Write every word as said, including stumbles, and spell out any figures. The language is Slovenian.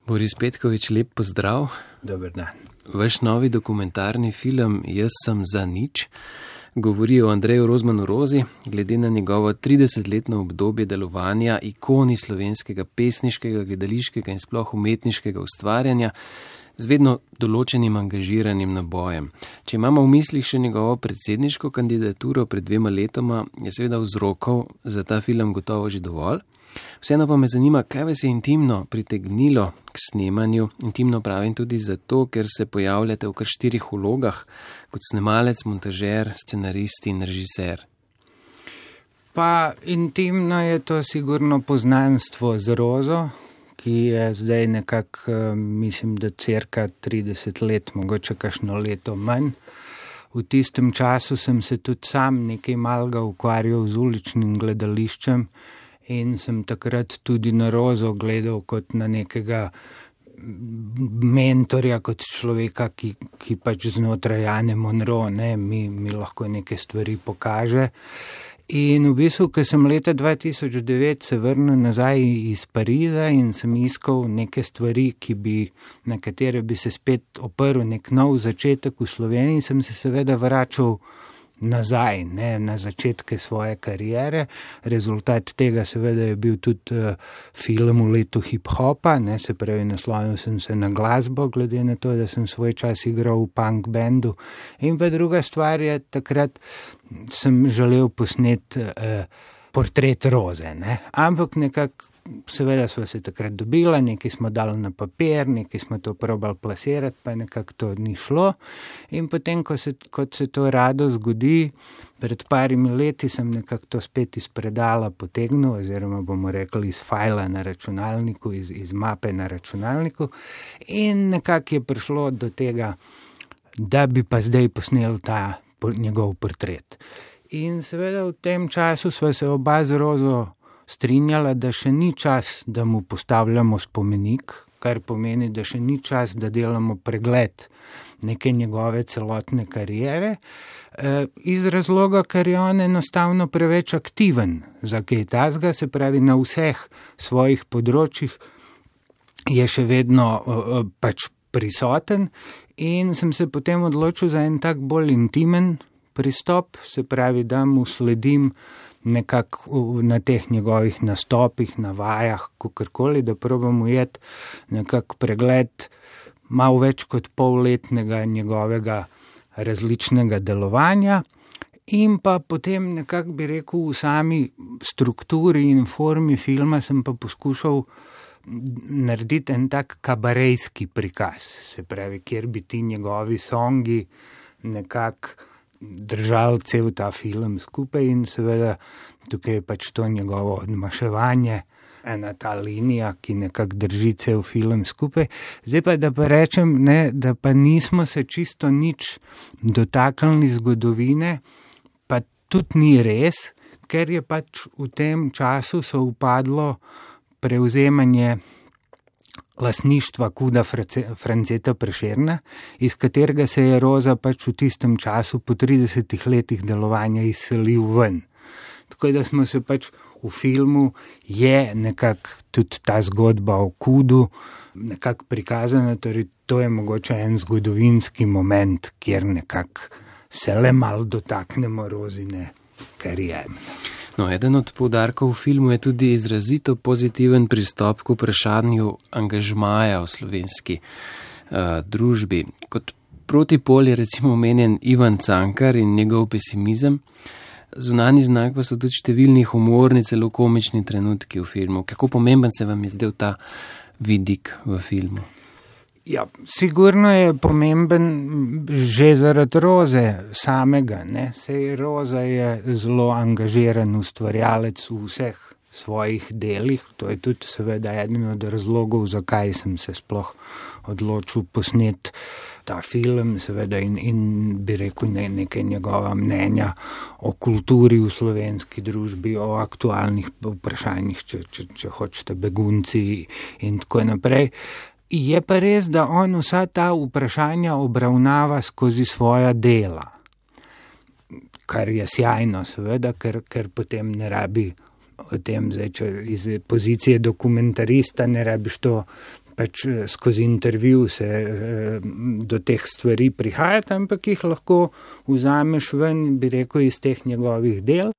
Boris Petković, lep pozdrav. Dober dan. Vaš novi dokumentarni film Jaz sem za nič govori o Andreju Rozmanu Rozi, glede na njegovo tridesetletno obdobje delovanja, ikoni slovenskega pesniškega, gledališkega in sploh umetniškega ustvarjanja z vedno določenim angažiranim nabojem. Če imamo v mislih še njegovo predsedniško kandidaturo pred dvema letoma, je seveda vzrokov za ta film gotovo že dovolj. Vseeno pa me zanima, kaj vas je intimno pritegnilo k snemanju. Intimno pravim tudi zato, ker se pojavljate v kar štirih vlogah, kot snemalec, montažer, scenarist in režiser. Pa intimno je to sigurno poznanstvo z Rozo, ki je zdaj nekako, mislim, da cirka trideset let, mogoče kakšno leto manj. V tistem času sem se tudi sam nekaj malega ukvarjal z uličnim gledališčem in sem takrat tudi na Rozo gledal kot na nekega mentorja, kot človeka, ki, ki pač znotraj Ane Monroe, ne, mi, mi lahko neke stvari pokaže. In v bistvu, ko sem leta dva tisoč devet se vrnil nazaj iz Pariza in sem iskal neke stvari, ki bi, na katere bi se spet oprl nek nov začetek v Sloveniji, sem se seveda vračal nazaj, ne, na začetke svoje kariere. Rezultat tega seveda je bil tudi uh, film v letu hip-hopa, ne, se pravi, naslonil sem se na glasbo, glede na to, da sem svoj čas igral v punk bandu. In pa druga stvar je, takrat sem želel posneti uh, portret Roze, ne, ampak nekako seveda smo se takrat dobila, nekaj smo dali na papir, nekaj smo to probali plasirati, pa nekako to ni šlo. In potem, ko se, kot se to rado zgodi, pred parimi leti sem nekako to spet iz predala potegnil, oziroma bomo rekli iz fajla na računalniku, iz, iz mape na računalniku. In nekako je prišlo do tega, da bi pa zdaj posnel ta njegov portret. In seveda v tem času sva se oba z Rozo strinjala, da še ni čas, da mu postavljamo spomenik, kar pomeni, da še ni čas, da delamo pregled neke njegove celotne kariere, e, iz razloga, ker je on enostavno preveč aktiven za kaj takega, se pravi na vseh svojih področjih je še vedno e, pač prisoten in sem se potem odločil za en tak bolj intimen pristop, se pravi, da mu sledim nekako na teh njegovih nastopih, na vajah, kakorkoli, da probam ujeti nekako pregled malo več kot polletnega njegovega različnega delovanja in pa potem nekako bi rekel v sami strukturi in formi filma sem pa poskušal narediti en tak kabarejski prikaz, se pravi, kjer bi ti njegovi songi nekako držali cel ta film skupaj in seveda tukaj je pač to njegovo odmaševanje, ena ta linija, ki nekako drži cel film skupaj. Zdaj pa, da pa rečem, ne, da pa nismo se čisto nič dotaknili zgodovine, pa tudi ni res, ker je pač v tem času se upadlo prevzemanje lastništva Kuda Franceta Prešerna, iz katerega se je Roza pač v tistem času po tridesetih letih delovanja izselil ven. Tako da smo se pač v filmu je nekako tudi ta zgodba o Kudu nekako prikazana, torej to je mogoče en zgodovinski moment, kjer nekako se le malo dotaknemo Rozine kariere. No, eden od poudarkov v filmu je tudi izrazito pozitiven pristop k vprašanju angažmaja v slovenski uh, družbi. Kot protipol je recimo omenjen Ivan Cankar in njegov pesimizem. Zunanji znak pa so tudi številni humorni, celo komični trenutki v filmu. Kako pomemben se vam je zdel ta vidik v filmu? Ja, sigurno je pomemben že zaradi Roze samega, ne. Sej Roza je zelo angažiran ustvarjalec v vseh svojih delih, to je tudi seveda eden od razlogov, zakaj sem se sploh odločil posneti ta film, seveda in, in bi rekel ne, nekaj njegova mnenja o kulturi v slovenski družbi, o aktualnih vprašanjih, če, če, če hočete, begunci in tako naprej. Je pa res, da on vsa ta vprašanja obravnava skozi svoja dela, kar je sjajno seveda, ker, ker potem ne rabi o tem, zdaj, če iz pozicije dokumentarista ne rabiš to pač skozi intervju se do teh stvari prihajati, ampak jih lahko vzameš ven, bi rekel, iz teh njegovih del.